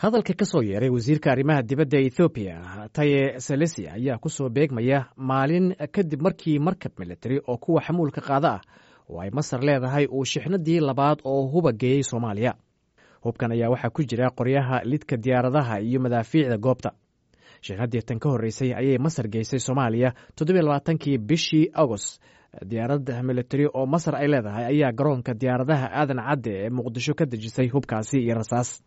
Hadalka ka soo yeeray wasiirka arrimaha dibadda Ethoobiya Taye Selesi ayaa ku soo beegmaya maalin kadib markii markab militari oo kuwa xamuulka qaada ah oo ay Masar leedahay uu shixnadii labaad oo huba geeyey Soomaaliya. Hubkan ayaa waxaa ku jira qoryaha lidka diyaaradaha iyo madaafiicda goobta. Shixnadii tan ka horreysay ayay Masar geysay Soomaaliya 27-kii bishii Agost. Diyaarad militari oo Masar ay leedahay ayaa garoonka diyaaradaha Aadan Cadde ee Muqdisho ka dejisay hubkaasi iyo rasaas.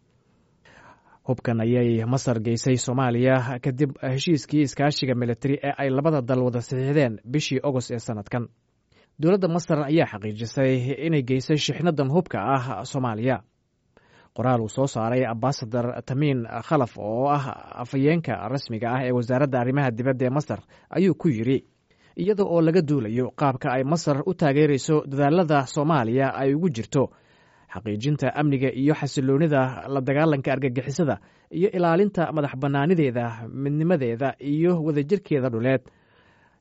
Hubkan ayay Masar geysay Soomaaliya kadib heshiiskii iskaashiga militari ee ay labada dal wada saxiixdeen bishii Ogost ee sanadkan. Dowladda Masar ayaa xaqiijisay inay geysay shixnadan hubka ah Soomaaliya. Qoraal uu soo saaray ambasadar Tamiin Khalaf oo ah afhayeenka rasmiga ah ee wasaaradda arrimaha dibadda ee Masar ayuu ku yidhi: iyada oo laga duulayo qaabka ay Masar u taageerayso dadaalada Soomaaliya ay ugu jirto xaqiijinta amniga iyo xasiloonida, la dagaalanka argagixisada iyo ilaalinta madax bannaanideeda, midnimadeeda iyo wadajirkeeda dhuleed,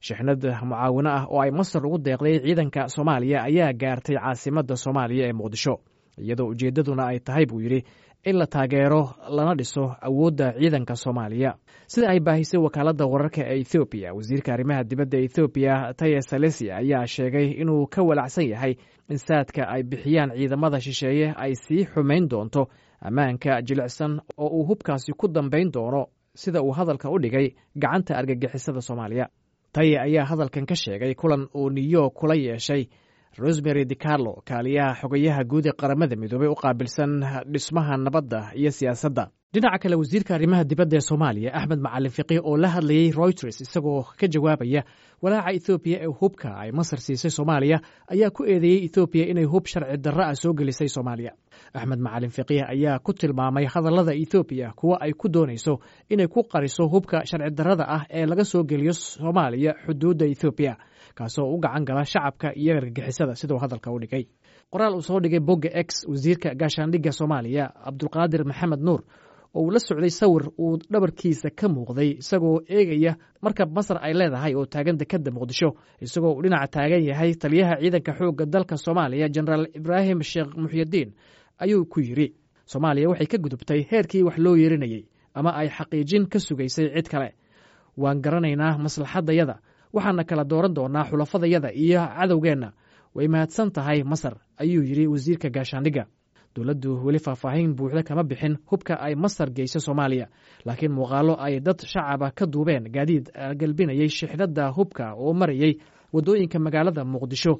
shixnad mucaawino ah oo ay Masar ugu deeqday ciidanka Soomaaliya ayaa gaartay caasimadda Soomaaliya ee Muqdisho, iyadoo ujeeddaduna ay tahay, buu yidhi, in la taageero lana dhiso awoodda ciidanka Soomaaliya. Sida ay baahisay wakaaladda wararka ee Ethoobiya, wasiirka arrimaha dibadda Ethoobiya Taye Salesi ayaa sheegay inuu ka walacsan yahay in saadka ay bixiyaan ciidamada shisheeye ay sii xumayn doonto ammaanka jilicsan oo uu hubkaasi ku dambayn doono, sida uu hadalka u dhigay, gacanta argagixisada Soomaaliya. Taye ayaa hadalkan ka sheegay kulan uu New York kula yeeshay Rosemary DiCarlo, kaaliyaha xogayaha guud ee Qaramada Midoobey u qaabilsan dhismaha nabadda iyo siyaasadda. Dhinaca kale, wasiirka arrimaha dibadda ee Soomaaliya Axmed Macalin Fiqih oo la hadlayey Reuters isagoo ka jawaabaya walaaca Ethoobiya ee hubka ay Masar siisay Soomaaliya ayaa ku eedeeyey Ethoobiya inay hub sharci darro ah soo gelisay Soomaaliya. Axmed Macalin Fiqiih ayaa ku tilmaamay hadallada Ethoobiya kuwa ay ku doonayso inay ku qariso hubka sharci darrada ah ee laga soo geliyo Soomaaliya xuduudda Ethoobiya, kaasoo u gacan gala shacabka iyo argagixisada, siduu hadalka u dhigay. Qoraal uu soo dhigay bogga X wasiirka gaashaandhigga Soomaaliya Cabdulqaadir Maxamed Nuur oo uu la socday sawir uu dhabarkiisa ka muuqday isagoo eegaya markab Masar ay leedahay oo taagan dekedda Muqdisho, isagoo uu dhinaca taagan yahay taliyaha ciidanka xoogga dalka Soomaaliya Jenaraal Ibraahim Sheekh Muxyidiin, ayuu ku yidhi: Soomaaliya waxay ka gudubtay heerkii wax loo yeerinayey ama ay xaqiijin ka sugaysay cid kale. Waan garanaynaa maslaxaddayada, waxaana kala dooran doonaa xulafadayada iyo cadowgeenna. Way mahadsan tahay Masar, ayuu yidhi wasiirka gaashaandhigga. Dowladdu weli faahfaahin buuxda kama bixin hubka ay Masar geyso Soomaaliya, laakiin muuqaalo ay dad shacaba ka duubeen gaadiid galbinayay shixnadda hubka oo marayay waddooyinka magaalada Muqdisho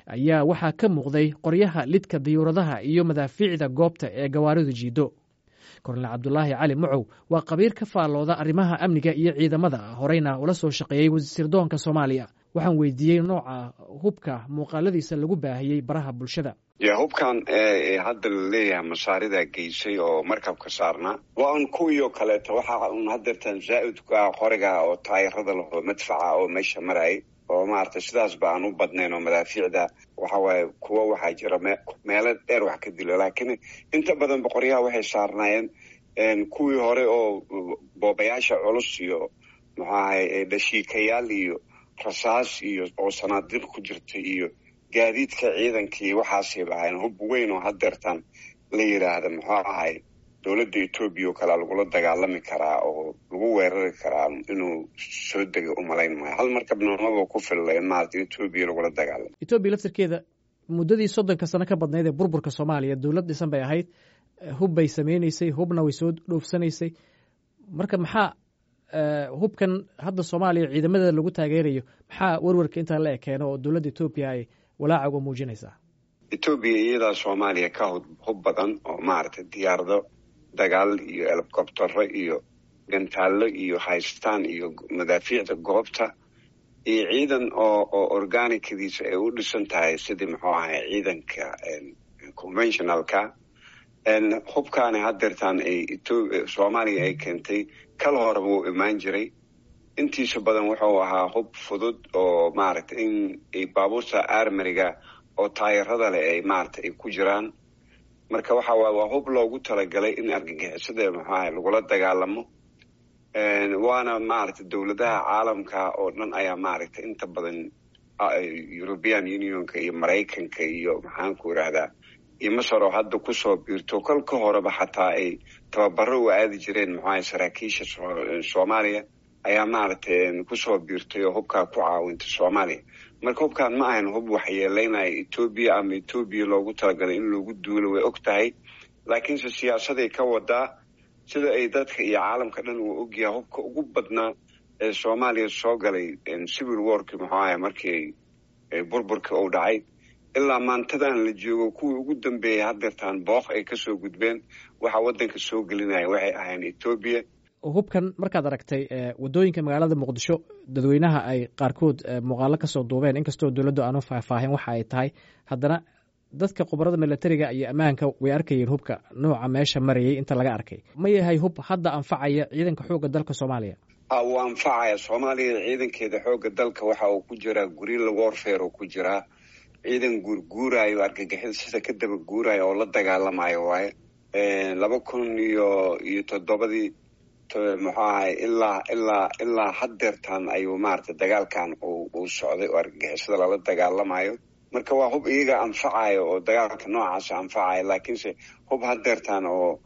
ayaa waxaa ka muuqday qoryaha lidka diyuuradaha iyo madaafiicda goobta ee gawaaridu jiido. Kornel Cabdulaahi Cali Mucow waa qabiir ka faallooda arrimaha amniga iyo ciidamada, horeyna ula soo shaqeeyey sirdoonka Soomaaliya. Waxaan weydiiyey nooca hubka muuqaaladiisa lagu baahiyey baraha bulshada. Ya, hubkan hadda la leeyahay masaarida geysay oo markabka saarnaa waa un kuwii oo kaleeto. Waxa un hadeertan zaa-idku ah qoriga oo taayirada laho madfaca oo meesha marayay oo maaragtay sidaas ba aan u badnayn, oo madaafiicda waxa waaye kuwa waxaa jira meelo dheer wax ka dilo, laakiin inta badan boqoryaha waxay saarnaayeen kuwii hore oo boobayaasha culus iyo muxuu ahay dhashiikayaal iyo rasaas iyo oo sanaadiiq ku jirta iyo gaadiidka ciidanka iyo waxaasayba ahayn. Hub weyn oo hadeertan la yidhaahda muxuu ahay dowladda Etoobiya oo kalea lagula dagaalami karaa oo lagu weerari karaa inuu soo dega umalayn maayo. Hal markabna maba ku filla in maarata Etoobiya lagula dagaalamo. Etoobiya laftirkeeda muddadii 30-ka sano ka badnayd ee burburka Soomaaliya dowlad dhisan bay ahayd, hub bay sameynaysay, hubna way soo dhoofsanaysay. Marka maxaa hubkan hadda Soomaaliya ciidamadeeda lagu taageerayo, maxaa warwarka intaa la ekeeno oo dowladda Etoobiya ay walaaca uga muujinaysaa? Etoobiya iyadaa Soomaaliya ka hub badan oo maaragtay diyaarado dagaal iyo helicobtero iyo gantaallo iyo haystaan iyo madaafiicda goobta iyo ciidan oo organicadiisa ay u dhisan tahay sidii muxuu ahay ciidanka conventionalka. Hubkaani hadeertaan ay Soomaaliya ay keentay kal hore wuu imaan jiray. Intiisa badan wuxuu ahaa hub fudud oo maaragtay in baabuurta armariga oo taayirada leh ay maaragtay ay ku jiraan. Marka waxa waay waa hub loogu talagalay in argagixisada muxuu ahay lagula dagaalamo, waana maaragtay dowladaha caalamka oo dhan ayaa maaragtay inta badan European Unionka iyo Maraykanka iyo maxaan ku irahdaa Iyo Masar oo hadda kusoo biirto, kolka horeba xataa ay tababaro u aadi jireen muxuaha saraakiisha Soomaaliya, ayaa maaragtay kusoo biirtay oo hubkaa ku caawintay Soomaaliya. Marka hubkaan ma ahayn hub waxyeeleynaya Etoobiya ama Etoobiya loogu talagalay in loogu duulo, way og tahay, laakiinse siyaasaday ka wadaa. Sida ay dadka iyo caalamka dhan uu ogyahay, hubka ugu badnaa ee Soomaaliya soo galay civil warki, muxuu ahay, markii burburka uu dhacay ilaa maantadan la joogo, kuwii ugu dambeeyay hadeertaan booq ay kasoo gudbeen, waxa waddanka soo gelinaya waxay ahayn Etoobiya. Hubkan markaad aragtay waddooyinka magaalada Muqdisho, dadweynaha ay qaarkood muuqaalo kasoo duubeen, inkastoo dowladdu aanu faahfaahin waxa ay tahay, haddana dadka khubarada milatariga iyo ammaanka way arkayeen hubka nooca meesha marayay. Inta laga arkay, ma yahay hub hadda anfacaya ciidanka xoogga dalka Soomaaliya? Wuu anfacaya Soomaaliya. Ciidankeeda xoogga dalka waxa uu ku jiraa guerrilla warfare oo ku jiraa, ciidan guurguuraayo, argagixisada ka daba guuraayo oo la dagaalamayo waaye. 2007-dii, muxuu ahay, ilaa haddeertaan ayuu maaragtay dagaalkan uu socday oo argagixisada lala dagaalamayo. Marka waa hub iyaga anfacayo oo dagaalka noocaasa anfacaya, laakiinse hub haddeertaan oo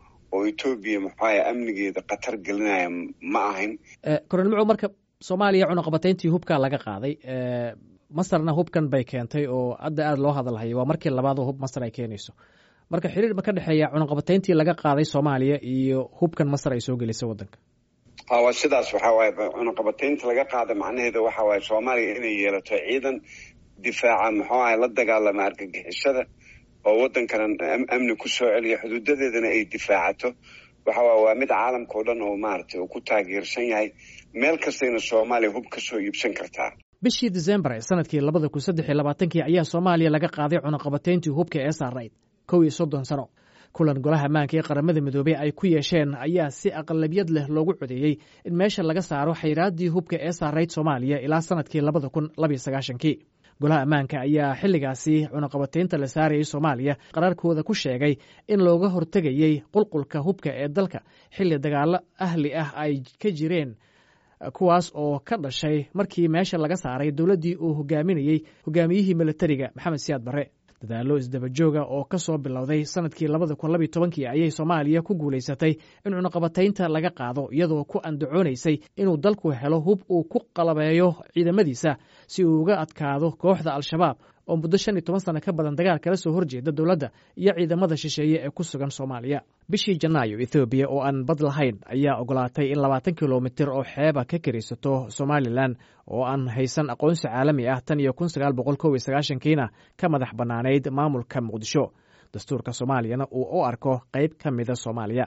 Etoobiya, muxuu ahay, amnigeeda khatar gelinaya ma ahayn. Koronel Macow, marka Soomaaliya cunaqabatayntii hubkaa laga qaaday, Masarna hubkan bay keentay oo hadda aada loo hadalhayo. Waa markii labaad oo hub Masar ay keenayso. Marka xiriir ma ka dhexeeya cunaqabatayntii laga qaaday Soomaaliya iyo hubkan Masar ay soo gelisay waddanka? Ha, waa sidaas. Waxa waaye, cunaqabataynta laga qaada macnaheeda waxa waaye Soomaaliya inay yeelato ciidan difaaca, muxuu ahay, la dagaalama argagixisada oo waddankana amni ku soo celiya, xuduudadeedana ay difaacato. Waxa waay waa mid caalamka oo dhan oo maaragtay uu ku taageersan yahay. Meel kastayna Soomaaliya hub ka soo iibsan kartaa. Bishii Disembar ee sanadkii 2023-kii ayaa Soomaaliya laga qaaday cunaqabatayntii hubka ee saarayd 31 sano. Kulan golaha ammaanka ee Qaramada Midoobey ay ku yeesheen ayaa si aqlabiyad leh loogu codeeyey in meesha laga saaro xayraaddii hubka ee saarayd Soomaaliya ilaa sanadkii 2092-kii. Golaha ammaanka ayaa xilligaasi cunaqabataynta la saarayay Soomaaliya qaraarkooda ku sheegay in looga hortegayey qulqulka hubka ee dalka xilli dagaallo ahli ah ay ka jireen, kuwaas oo ka dhashay markii meesha laga saaray dowladdii uu hogaaminayey hogaamiyihii milatariga Maxamed Siyaad Barre. Dadaallo isdabajooga oo ka soo bilowday sanadkii 2012-kii ayay Soomaaliya ku guulaysatay in cunaqabataynta laga qaado, iyadoo ku andacoonaysay inuu dalku helo hub uu ku qalabeeyo ciidamadiisa si uu uga adkaado kooxda Al-Shabaab oo muddo 15 sano ka badan dagaal kala soo horjeeda dowladda iyo ciidamada shisheeye ee ku sugan Soomaaliya. Bishii Janaayo, Ethoobiya oo aan bad lahayn ayaa ogolaatay in 20 kilomitir oo xeeba ka kiraysato Somalilan oo aan haysan aqoonsi caalami ah tan iyo 1991-kiina ka madax bannaanayd maamulka Muqdisho, dastuurka Soomaaliyana uu u arko qayb ka mida Soomaaliya.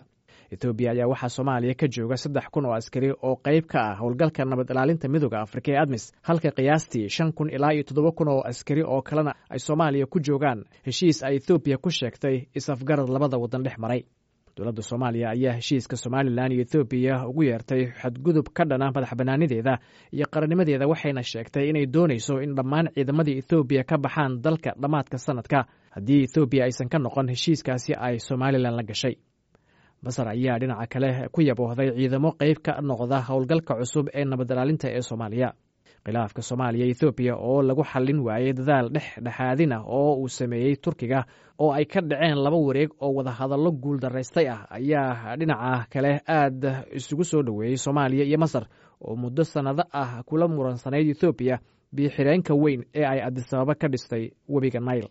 Etoobiya ayaa waxaa Soomaaliya ka jooga 3000 oo askari oo qayb ka ah howlgalka nabad ilaalinta Midooda Afrika ee ADMIS, halka qiyaastii 5000 ilaa iyo 7000 oo askari oo kalena ay Soomaaliya ku joogaan heshiis ay Ethoobiya ku sheegtay is-afgarad labada waddan dhex maray. Dowladda Soomaaliya ayaa heshiiska Somalilan iyo Ethoobiya ugu yeertay xadgudub ka dhana madax bannaanideeda iyo qarannimadeeda, waxayna sheegtay inay doonayso in dhammaan ciidamadii Ethoobiya ka baxaan dalka dhammaadka sanadka haddii Ethoobiya aysan ka noqon heshiiskaasi ay Somalilan la gashay. Masar ayaa dhinaca kale ku yaboohday ciidamo qayb ka noqda howlgalka cusub ee nabad ilaalinta ee Soomaaliya. Khilaafka Soomaaliya Ethoobiya oo lagu xallin waayey dadaal dhex dhexaadin ah oo uu sameeyey Turkiga, oo ay ka dhaceen laba wareeg oo wadahadallo guul daraystay ah, ayaa dhinaca kale aad isugu soo dhoweeyey Soomaaliya iyo Masar oo muddo sannado ah kula muransanayd Ethoobiya biyo xireenka weyn ee ay Adisababa ka dhistay webiga Nail.